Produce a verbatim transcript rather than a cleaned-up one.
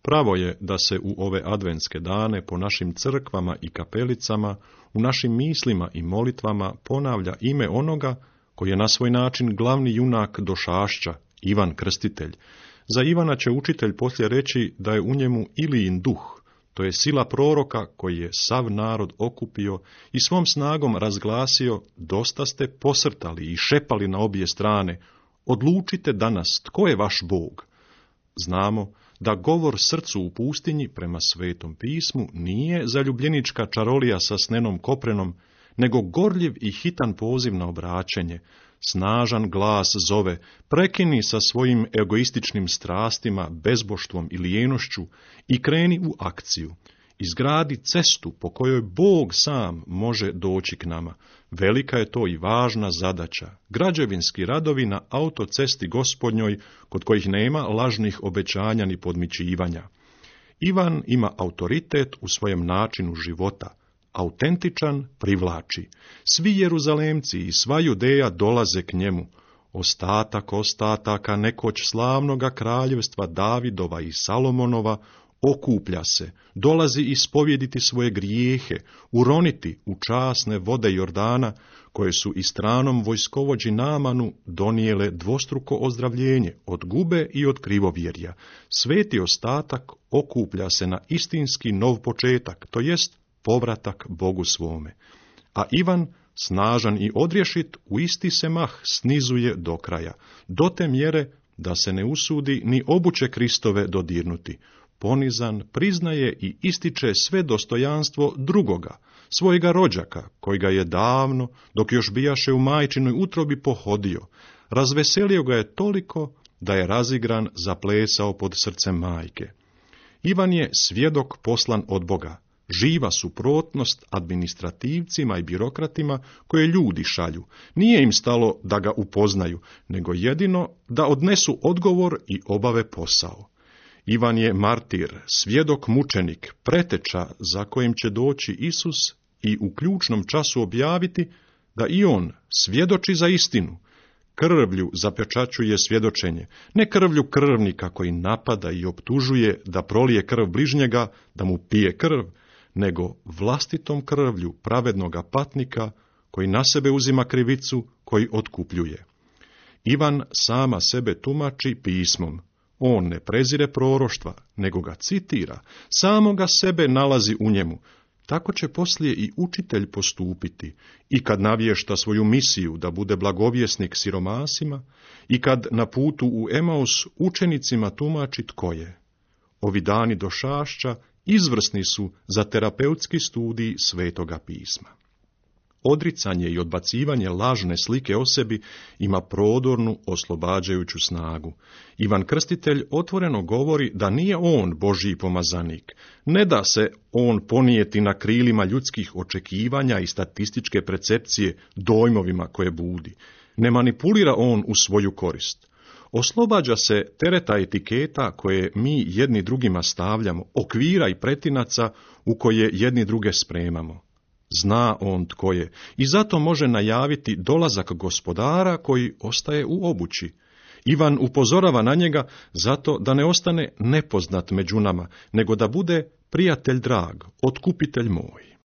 Pravo je da se u ove adventske dane po našim crkvama i kapelicama, u našim mislima i molitvama ponavlja ime onoga koji je na svoj način glavni junak došašća, Ivan Krstitelj. Za Ivana će učitelj poslije reći da je u njemu Ilijin duh, to je sila proroka koji je sav narod okupio i svom snagom razglasio: dosta ste posrtali i šepali na obje strane, odlučite danas tko je vaš Bog. Znamo da govor srcu u pustinji prema Svetom pismu nije zaljubljenička čarolija sa snenom koprenom, nego gorljiv i hitan poziv na obraćenje. Snažan glas zove: prekini sa svojim egoističnim strastima, bezboštvom i lijenošću i kreni u akciju. Izgradi cestu po kojoj Bog sam može doći k nama. Velika je to i važna zadaća. Građevinski radovi na autocesti Gospodnjoj, kod kojih nema lažnih obećanja ni podmićivanja. Ivan ima autoritet u svojem načinu života. Autentičan privlači. Svi Jeruzalemci i sva Judeja dolaze k njemu. Ostatak ostataka nekoć slavnoga kraljevstva Davidova i Salomonova okuplja se, dolazi ispovjediti svoje grijehe, uroniti u časne vode Jordana, koje su i stranom vojskovođi Naamanu donijele dvostruko ozdravljenje od gube i od krivovjerja. Sveti ostatak okuplja se na istinski nov početak, to jest povratak Bogu svome. A Ivan, snažan i odrješit, u isti se mah snizuje do kraja, do te mjere da se ne usudi ni obuće Kristove dodirnuti. Ponizan priznaje i ističe sve dostojanstvo drugoga, svojega rođaka, koji ga je davno, dok još bijaše u majčinoj utrobi, pohodio. Razveselio ga je toliko da je razigran zaplesao pod srcem majke. Ivan je svjedok poslan od Boga, živa suprotnost administrativcima i birokratima koje ljudi šalju. Nije im stalo da ga upoznaju, nego jedino da odnesu odgovor i obave posao. Ivan je martir, svjedok mučenik, preteča za kojim će doći Isus i u ključnom času objaviti da i on svjedoči za istinu. Krvlju zapečaćuje svjedočenje, ne krvlju krvnika koji napada i optužuje da prolije krv bližnjega, da mu pije krv, nego vlastitom krvlju pravednoga patnika koji na sebe uzima krivicu, koji otkupljuje. Ivan sama sebe tumači pismom. On ne prezire proroštva, nego ga citira, samoga sebe nalazi u njemu. Tako će poslije i učitelj postupiti, i kad navješta svoju misiju da bude blagovjesnik siromasima, i kad na putu u Emaus učenicima tumači tko je. Ovi dani došašća izvrsni su za terapeutski studij Svetoga pisma. Odricanje i odbacivanje lažne slike o sebi ima prodornu oslobađajuću snagu. Ivan Krstitelj otvoreno govori da nije on Božji pomazanik. Ne da se on ponijeti na krilima ljudskih očekivanja i statističke percepcije dojmovima koje budi. Ne manipulira on u svoju korist. Oslobađa se tereta etiketa koje mi jedni drugima stavljamo, okvira i pretinaca u koje jedni druge spremamo. Zna on tko je i zato može najaviti dolazak gospodara koji ostaje u obući. Ivan upozorava na njega zato da ne ostane nepoznat među nama, nego da bude prijatelj drag, otkupitelj moj.